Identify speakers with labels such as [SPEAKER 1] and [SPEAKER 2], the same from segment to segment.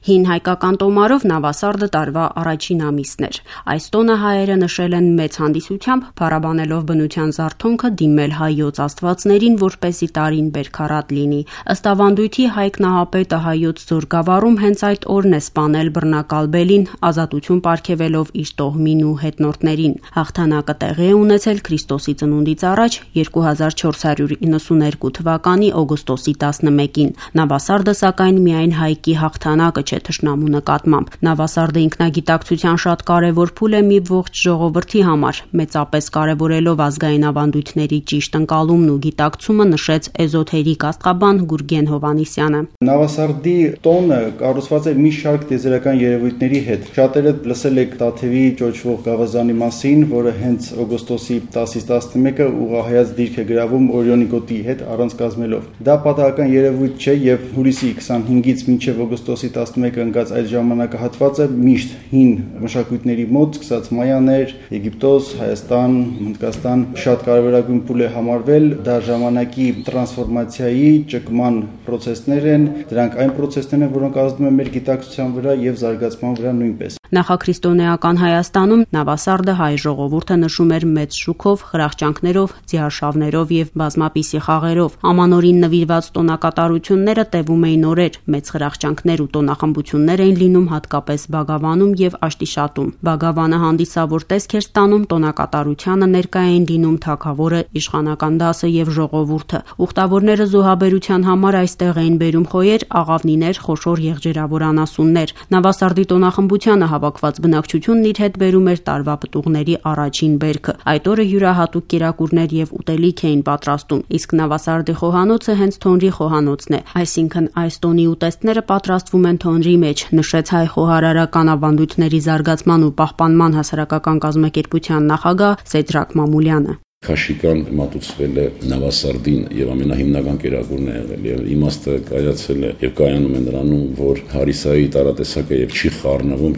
[SPEAKER 1] Հին հայկական տոմարով Նավասարդը տարվա առաջին ամիսն էր։ Այս տոնը հայերը նշել են մեծ հանդիսությամբ, փառաբանելով բնության զարթոնքը դիմել հայոց աստվածներին, որպեսզի տարին բերքարատ լինի։ Ըստ ավանդույթի Հայկ Նահապետը հայոց զորգավառում հենց այդ օրն է սպանել բռնակալ բելին, ազատություն պարգևելով իր տոհմին ու հետնորդներին։ Հաղթանակը տեղի է ունեցել Քրիստոսի ծնունդից առաջ 2492 թվականի օգոստոսի 11-ին։ Նավասարդը սակայն միայն հայկի հաղթանակը չէ թշնամու նկատմամբ։ Նավասարդը ինքնագիտակցության շատ կարևոր փուլ է մի ողջ ժողովրդի համար, մեծապես կարևորելով ազգային ավանդույթների ճիշտ ընկալումն ու գիտակցումը, նշեց էզոթերիկ աստղաբան Գուրգեն Հովհաննիսյանը։
[SPEAKER 2] Նավասարդի տոնը կառուցված է մի շարք տիեզերական երևույթների հետ։ Շատերը լսել եք Տաթևի ճոճվող գավազանի մասին, որը հենց օգոստոսի 10-ից 11-ը ուղղահայաց դիրք է գրավում Օրիոնի գոտի հետ առանց կազմելով։ Դա պատահական երևույթ չէ եւ հուլիսի 25-ից մինչեւ օգոստոսի 11-ը ընկած այդ ժամանակահատվածը միշտ հին մշակույթների մոտ, սկսած մայաներ, Եգիպտոս, Հայաստան, Հնդկաստան շատ կարևորագույն փուլ է համարվել։ Դա ժամանակի տրանսֆորմացիայի, ճկման պրոցեսներ են, դրանք այն պրոցեսներն են, որոնք ազդում են մեր գիտակցության վրա եւ զարգացման վրա նույնպես։
[SPEAKER 1] Նախաքրիստոնեական Հայաստանում Նավասարդը հայ ժողովուրդը նշում էր մեծ շուքով, խրախճանքներով, ձիարշավներով եւ բազմապիսի խաղերով։ Ամանորին նվիրված տոնակատարությունները տևում էին օրեր, մեծ խրախճանքներ ու տոնախմբություններ էին լինում հատկապես Բագավանում եւ Աշտիշատում։ Բագավանը հանդիսավոր տեսք էր ստանում, տոնակատարությանը ներկա էին լինում թագավորը, իշխանական դասը եւ ժողովուրդը։ Ուխտավորները զոհաբերության համար այստեղ էին բերում խոյեր, աղավնիներ, խոշոր եղջերավոր անասուններ։ Նավասարդի տոնախմբությանը հավաքված բնակչությունն իր հետ բերում էր տարվա պտուղների առաջին բերքը։ Այդ օրը յուրահատուկ կերակուրներ եւ ուտելիք էին պատրաստում, իսկ Նավասարդի խոհանոցը հենց Թոնրի խոհանոցն է, այսինքն այս տոնի ուտեստները պատրաստվում են Թոնրի մեջ, նշեց հայ խոհարարական ավանդույթների զարգացման ու պահպանման հասարակական կազմակերպության նախագահ Սեդրակ Մամուլյանը։
[SPEAKER 3] Քաշիկան մատուցվել է Նավասարդին եւ ամենահիմնական կերակուրն է եղել եւ իմաստը կայացել է եւ կայանում է նրանում, որ հարիսայի տարատեսակը եւ չի խառնվում,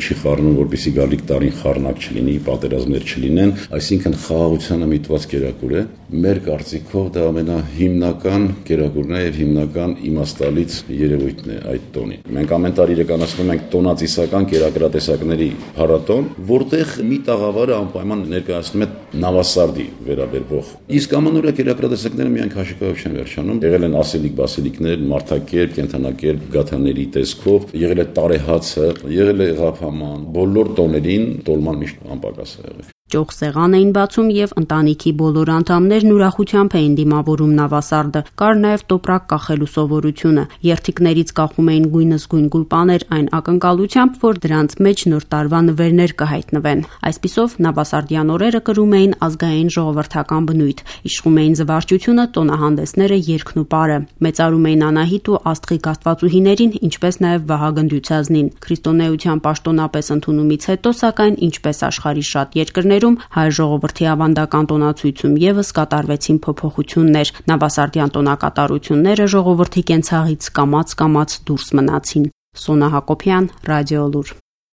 [SPEAKER 3] որպեսզի գալիք տարին խառնակ չլինի, պատերազմներ չլինեն, այսինքն խաղաղությանը միտված կերակուր է։ Մեր կարծիքով դա ամենահիմնական կերակուրն է եւ հիմնական իմաստալից երևույթն է այդ տոնի։ Մենք ամեն տարի իրականացնում ենք տոնածիսական կերակրատեսակների փառատոն, որտեղ մի տաղավարը անպայման ներկայացնում է Նավասարդի վերաբերվող։ Իսկ ամանորյա կերակրատեսակները միայն քաշիկայով չեն վերջանում։ Եղել են ասելիկ-բասելիկներ, մարդակերպ, կենդանակերպ, գաթաների տեսքով, եղել է տարեհացը, եղել է ղափաման։ Բոլոր տոներին տոլման միշտ անպակաս է եղել։
[SPEAKER 1] Ճոխ սեղան էին բացում եւ ընտանիքի բոլոր անդամներն ուրախությամբ էին դիմավորում Նավասարդը։ Կար նաեւ տոպրակ կախելու սովորությունը։ Երթիկներից կախում էին գույնզգույն գուլպաներ այն ակնկալությամբ, որ դրանց մեջ նոր տարվա նվերներ կհայտնվեն։ Այսպիսով Նավասարդյան օրերը կրում էին ազգային ժողովրդական բնույթ։ Իշխում էին զվարճությունը, տոնահանդեսները, երգն ու պարը։ Մեծարում էին Անահիտ ու Աստղիկ աստվածուհիներին, ինչպես նաեւ Վահագն Դյուցազնին։ Քրիստոնեության պաշտոնապես ընդունումից հետո, սակայն, ինչպես աշխարհի շատ երկրներ հայ ժողովրդի ավանդական տոնացույցում եւս կատարվեցին փոփոխություններ։ Նավասարդյան տոնակատարությունները ժողովրդի կենցաղից կամաց դուրս մնացին։ Սոնա Հակոբյան, Ռադիոլուր։